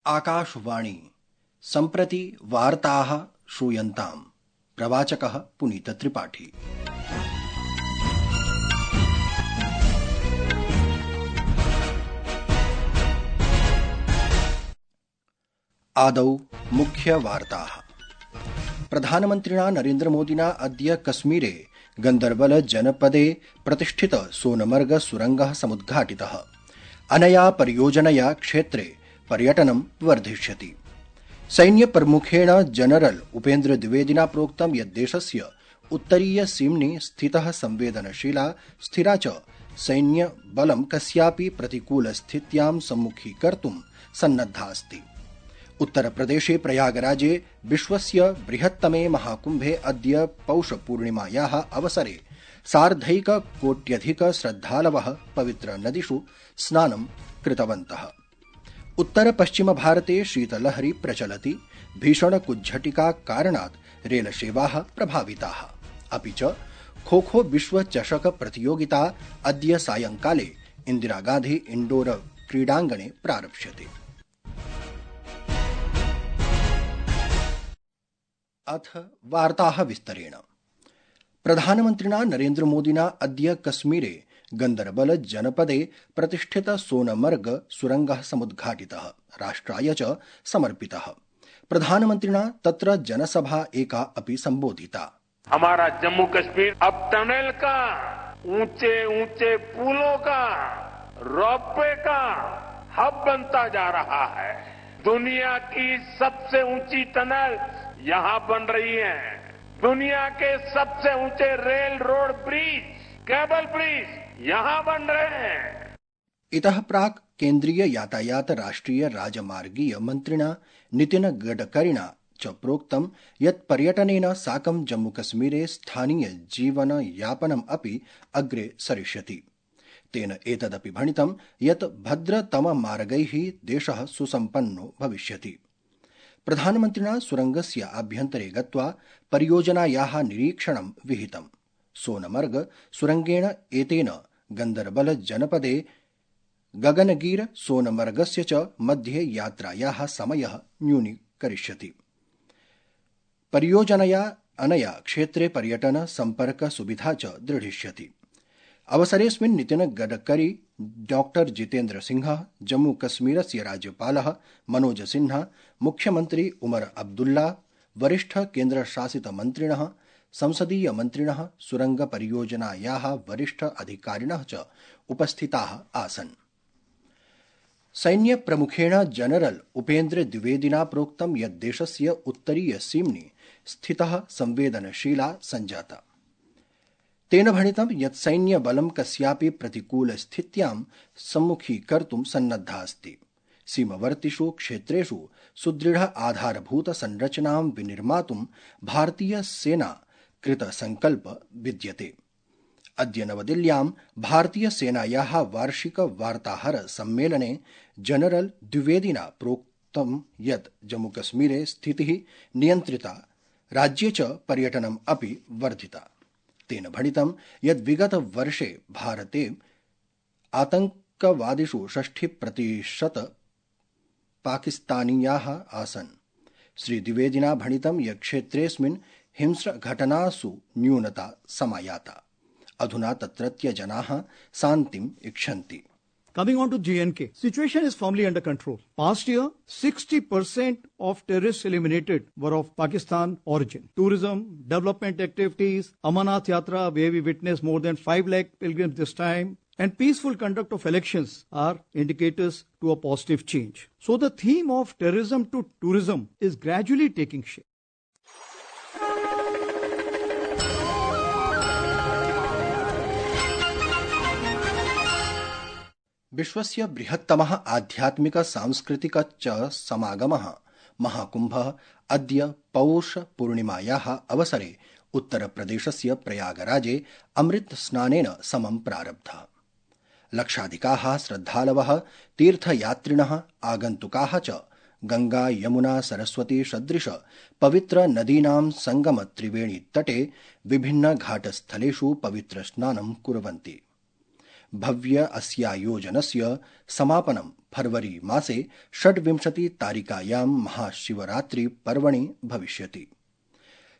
आकाशवाणी सम्प्रति वार्ताः श्रूयन्ताम्। प्रवाचकः पुनीत त्रिपाठी। आदौ मुख्यवार्ताः। प्रधानमन्त्रिणा नरेन्द्रमोदिना अद्य कश्मीरे गन्दरबल जनपदे प्रतिष्ठित सोनमर्ग सुरङ्गः समुद्घाटितः। अनया परियोजनया क्षेत्रे पर्यटनं वर्धिष्यति। सैन्यप्रमुखेण जनरल उपेन्द्र द्विवेदिना प्रोक्तं यत् देशस्य उत्तरीय सीम्नि स्थितः संवेदनशीला स्थिरा च सैन्यबलं कस्यापि प्रतिकूलस्थित्यां सम्मुखीकर्तुं सन्नद्धा अस्ति। उत्तरप्रदेशे प्रयागराजे विश्वस्य बृहत्तमे महाकुम्भे अद्य पौषपूर्णिमायाः अवसरे सार्धैककोट्यधिक श्रद्धालवः पवित्रनदीषु स्नानं कृतवन्तः। उत्तर पश्चिम भारते शीतलहरी प्रचलति। भीषणकुज्झटिका कारणात् रेलसेवाः प्रभाविताः। अपि च खोखो विश्वचषक प्रतियोगिता अद्य सायंकाले इन्दिरागान्धी इण्डोर क्रीडाङ्गणे प्रारप्स्यते। अथ वार्ताः विस्तरेण। प्रधानमन्त्रिणा नरेन्द्रमोदिना अद्य कश्मीरे गन्दरबल जनपदे प्रतिष्ठित सोनमर्ग सुरङ्गः समुद्घाटितः, राष्ट्राय च समर्पितः। प्रधानमन्त्रिणा तत्र जनसभा एका अपि संबोधिता। हमारा जम्मू कश्मीर अब टनल का, ऊंचे ऊंचे पुलों का, रोपवे का हब बनता जा रहा है। दुनिया की सबसे ऊंची टनल यहाँ बन रही है। दुनिया के सबसे ऊंचे rail road bridge, cable bridge यहाँ बन रहे हैं। इतः प्राक् केन्द्रीय यातायात राष्ट्रिय राजमार्गीय मन्त्रिणा नितिन गडकरिणा च प्रोक्तं यत् पर्यटनेन साकं जम्मूकश्मीरे स्थानीय जीवनयापनम् अपि अग्रे सरिष्यति। तेन एतदपि भणितं यत् भद्रतममार्गैः देशः सुसम्पन्नो भविष्यति। प्रधानमन्त्रिणा सुरङ्गस्य आभ्यन्तरे गत्वा परियोजनायाः निरीक्षणं विहितम्। सोनमर्ग सुरङ्गेण एतेन गन्दरबल जनपदे गगनगीर सोनमर्गस्य च मध्ये यात्रायाः समयः न्यूनीकरिष्यति। परियोजनया अनया क्षेत्रे पर्यटन सम्पर्क सुविधा च दृढिष्यति। अवसरेऽस्मिन् नितिन गडकरी, डॉक्टर जितेन्द्र सिंह, जम्मू कश्मीरस्य राज्यपालः मनोज सिन्हा, मुख्यमन्त्री उमर अब्दुल्ला, वरिष्ठ केन्द्रशासित मन्त्रिणः, संसदीय मन्त्रिणः, सुरंग परियोजनायाः वरिष्ठ अधिकारिणः च उपस्थिताः आसन्। सैन्य प्रमुखेण जनरल उपेन्द्र द्विवेदिना प्रोक्तं यत् देशस्य उत्तरीय सीम्नि स्थितः संवेदनशीला सञ्जाता। तेन भणितं यत् सैन्यबलं कस्यापि प्रतिकूलस्थित्यां सम्मुखीकर्तुं सन्नद्धा अस्ति। सीमवर्तिषु क्षेत्रेषु सुदृढ आधारभूत संरचनां विनिर्मातुं भारतीय सेना कृतसंकल्प विद्यते। अद्य नवदिल्ल्यां भारतीय सेनायाः वार्षिक वार्ताहर सम्मेलने जनरल द्विवेदिना प्रोक्तं यत् जम्मूकश्मीरे स्थितिः नियन्त्रिता, राज्ये च पर्यटनम् अपि वर्धिता। तेन भणितं यत् विगत वर्षे भारते आतंकवादिषु 60% पाकिस्तानीयाः आसन्। श्री द्विवेदिना भणितं यत् क्षेत्रेऽस्मिन् हिंस्रघटनासु न्यूनता समायाता। अधुना तत्रत्य जनाः शान्तिम् इच्छन्ति। Coming on to J&K, situation is firmly under control. Past year, 60% of terrorists eliminated were of Pakistan origin. Tourism, development activities, Amarnath Yatra, where we witnessed more than 5 lakh pilgrims this time, and peaceful conduct of elections are indicators to a positive change. So the theme of terrorism to tourism is gradually taking shape. विश्वस्य बृहत्तमः आध्यात्मिक सांस्कृतिक च समागमः महाकुम्भः अद्य पौषपूर्णिमायाः अवसरे उत्तरप्रदेशस्य प्रयागराजे अमृत स्नानेन समं प्रारब्धः। लक्षाधिकाः श्रद्धालवः, तीर्थयात्रिणः, आगन्तुकाः च गंगा यमुना सरस्वती सदृश पवित्र नदीनां संगम त्रिवेणी तटे विभिन्न घाटस्थलेषु पवित्र स्नानं कुर्वन्ति। भव्य अस्यायोजनस्य समापनं फरवरी मासे 26 तारिकायां महाशिवरात्रि पर्वणि भविष्यति।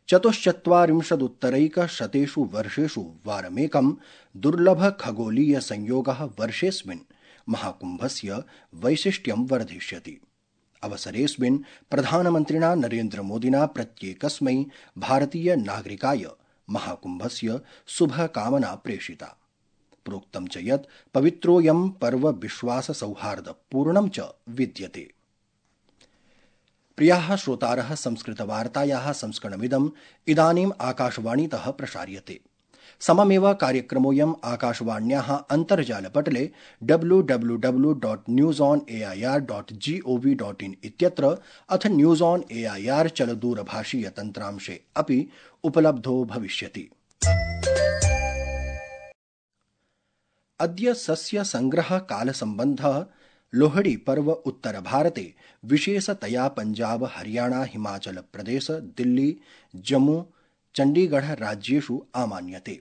44 वर्षेषु वारमेकं दुर्लभ खगोलीय संयोगः वर्षेऽस्मिन् महाकुम्भस्य वैशिष्ट्यं वर्धिष्यति। अवसरेऽस्मिन् प्रधानमन्त्रिणा नरेन्द्रमोदिना प्रत्येकस्मै भारतीय नागरिकाय महाकुम्भस्य शुभकामना प्रेषिता। प्रोक्तं च यत् पवित्रोऽयं पर्व विश्वास सौहार्दपूर्णं च विद्यते। प्रियाः श्रोतारः, संस्कृतवार्तायाः संस्करणमिदम् इदानीम् आकाशवाणीतः प्रसार्यते। सममेव कार्यक्रमोऽयम् आकाशवाण्याः अन्तर्जालपटले www.newsonair.gov.in इत्यत्र अथ न्यूज़ ऑन एआईआर चलदूरभाषीयतन्त्रांशे अपि उपलब्धो भविष्यति। अद्य सस्य संग्रह कालसम्बन्धः लोहड़ी पर्व उत्तरभारते विशेषतया पंजाब, हरियाणा, हिमाचल प्रदेश, दिल्ली, जम्मू, चण्डीगढ़ राज्येषु आमान्यते।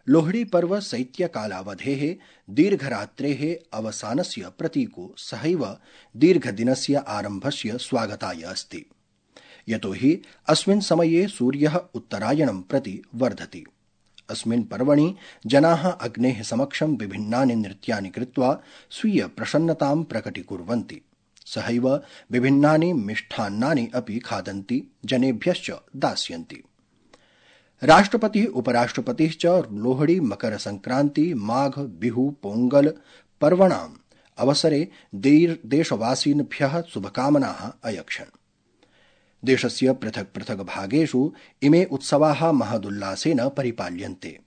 लोहड़ी पर्व शैत्यकालावधेः दीर्घरात्रेः अवसानस्य प्रतीको सहैव दीर्घदिनस्य आरम्भस्य स्वागताय अस्ति, यतोहि अस्मिन् समये सूर्यः उत्तरायणं प्रति वर्धति। अस्मिन् पर्वणि जनाः अग्नेः समक्षं विभिन्नानि नृत्यानि कृत्वा स्वीय प्रसन्नतां प्रकटीकुर्वन्ति। सहैव विभिन्नानि मिष्टान्नानि अपि खादन्ति, जनेभ्यश्च दास्यन्ति। राष्ट्रपतिः, उपराष्ट्रपतिः च लोहड़ी, मकर संक्रांति, माघ, बिहु, पोंगल पर्वणाम् अवसरे देशवासिभ्यः शुभकामनाः अयक्षन्। देशस्य पृथक् पृथक् भागेषु इमे उत्सवाः महदुल्लासेन परिपाल्यन्ते।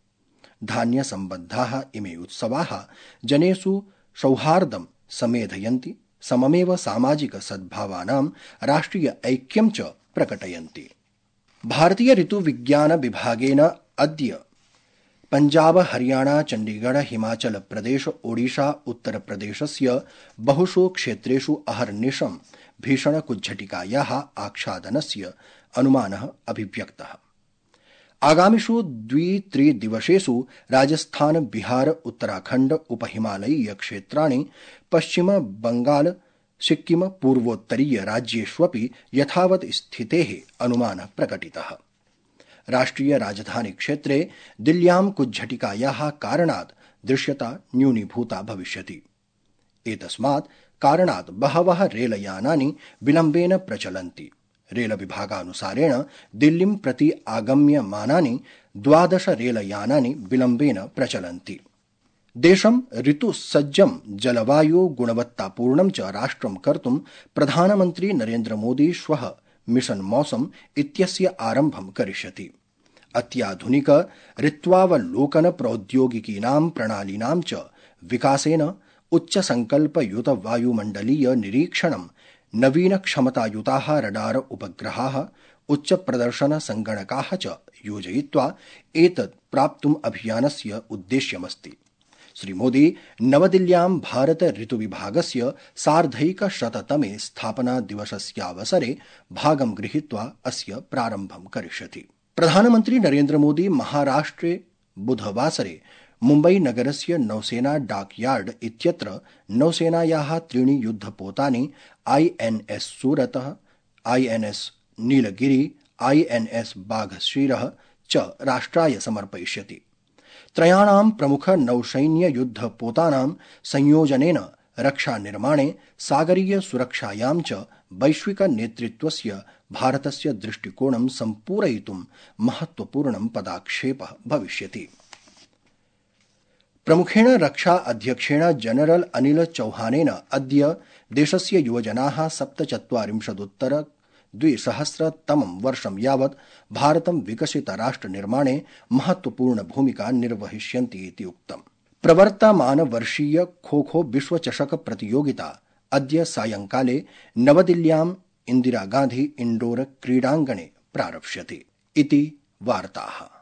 धान्यसम्बद्धाः इमे उत्सवाः जनेषु सौहार्दं समेधयन्ति, सममेव सामाजिक सद्भावानां राष्ट्रिय ऐक्यं च प्रकटयन्ति। भारतीय ऋतुविज्ञान विभागेन अद्य पंजाब, हरियाणा, चण्डीगढ़, हिमाचल प्रदेश, ओडिशा, उत्तरप्रदेशस्य बहुषु क्षेत्रेषु अहर्निशं भीषणकुज्झटिकायाः आच्छादनस्य अनुमानः अभिव्यक्तः। आगामिषु 2-3 दिवसेषु राजस्थान, बिहार, उत्तराखण्ड, उपहिमालयीय क्षेत्राणि, पश्चिम बंगाल, सिक्किम, पूर्वोत्तरीय राज्येष्वपि यथावत् स्थितेः अनुमानः प्रकटितः। राष्ट्रिय राजधानी क्षेत्रे दिल्ल्यां कुज्झटिकायाः कारणात् दृश्यता न्यूनीभूता भविष्यति। एतस्मात् कारणात् बहवः रेलयानानि विलम्बेन प्रचलन्ति। रेलविभागानुसारेण दिल्लीं प्रति आगम्यमानानि 12 रेलयानानि विलम्बेन प्रचलन्ति। देशं ऋतुसज्जं जलवायु गुणवत्तापूर्णं च राष्ट्रं कर्तुं प्रधानमन्त्री नरेन्द्रमोदी श्वः मिशन मौसम इत्यस्य आरम्भं करिष्यति। अत्याधुनिक ऋत्वावलोकन प्रौद्योगिकीनां प्रणालीनां च विकासेन उच्चसंकल्पयुत वायुमण्डलीय निरीक्षणं, नवीन क्षमतायुताः रडार उपग्रहाः, उच्चप्रदर्शन संगणकाः च योजयित्वा एतत् प्राप्तुम् अभियानस्य उद्देश्यमस्ति। श्रीमोदी नवदिल्ल्यां भारत ऋतुविभागस्य सार्धैकशततमे स्थापना दिवसस्यावसरे भागं गृहीत्वा अस्य प्रारम्भं करिष्यति। प्रधानमन्त्री नरेन्द्रमोदी महाराष्ट्रे बुधवासरे मुम्बई नगरस्य नौसेना डाकयार्ड इत्यत्र नौसेनायाः 3 युद्धपोतानि INS सूरतः, INS नीलगिरि, INS बाघश्रीरः च राष्ट्राय समर्पयिष्यति। त्रयाणां प्रमुख नौसैन्य युद्धपोतानां संयोजनेन रक्षानिर्माणे, सागरीय सुरक्षायां च वैश्विक नेतृत्वस्य भारतस्य दृष्टिकोणं सम्पूरयितुं महत्वपूर्णं पदाक्षेपः भविष्यति। प्रमुखेण रक्षा अध्यक्षेण जनरल अनिल चौहानेन अद्य देशस्य युवजनाः 47-उत्तर-2000 वर्षं यावत् भारतं विकसितराष्ट्रनिर्माणे महत्वपूर्ण भूमिका निर्वहिष्यन्ति इति उक्तम्। प्रवर्तमान वर्षीय खो-खो विश्वचषक प्रतियोगिता अद्य सायंकाले नवदिल्ल्याम् इंदिरा गांधी इंडोर क्रीडाङ्गणे प्रारप्स्यते इति वार्ताः।